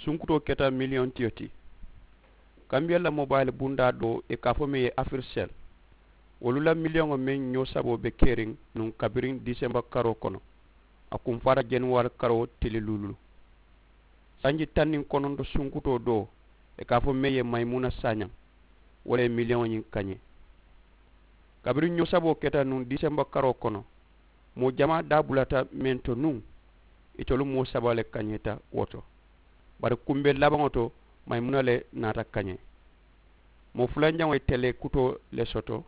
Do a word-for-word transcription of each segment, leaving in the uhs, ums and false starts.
Sunkutoo keta miliyoŋ tiyo ti. Kambiya la mobayili bundaa doo ì ka a fo meŋ ye afirisel. Wolu la miliyoŋo meŋ ñoo saboo be keriŋ nuŋ kabiriŋ disemba karoo kono. A kumfaata januwari karoo tili luululu. Sanji taŋ niŋ kononto sunkutoo doo ì ka a fo meŋ ye mayimuna saañaŋ. Wo le ye miliyoŋo ñiŋ kañee. Kabiriŋ ñoo saboo keta nuŋ disemba karoo kono, moo jamaa daa bulata meŋ to nuŋ, itolu moo saba le kañeeta wo to. Bari kumbee labaŋo to, mayimuna le naata kañee. Moo fulanjaŋo ye telee kutoo le soto.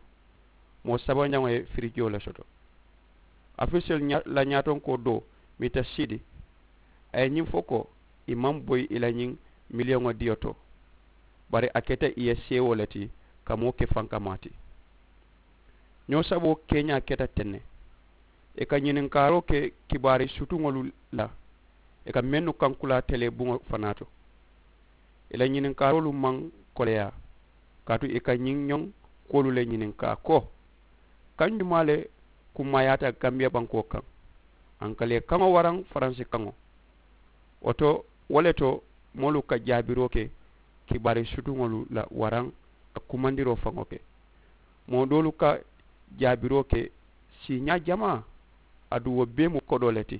Moo sabanjaŋo ye firijoo le soto. Afirisel la ñaatonkoo doo miita siidi. A ye ñiŋ fo ko, ì maŋ boyi ì la ñiŋ miliyoŋo diyo to. Bari a keta ì ye seewoo le ti ka moo ke fankamaa ti. Ñoo saboo keeñaa keta teŋ ne. Ì ka ñininkaaroo ke kibaari sutuŋolu la. Ì ka mennu kankulaa telee buŋo fanaa to. Ì la ñininkaaroolu maŋ koleyaa. Kaatu ì ka ñiŋ ñoŋ kuwolu le ñininkaa ko, kaŋ jumaa le kummaayaata gambiya bankoo kaŋ? Ankaleekaŋo waraŋ faransi kaŋo? Wo to, wo le to moolu ka jaabiroo ke kibaari sutuŋolu la waraŋ ka kumandiroo faŋo ke. Moo doolu ka jaabiroo ke siiñaa jamaa. Aduŋ wo bee mu kodoo le ti.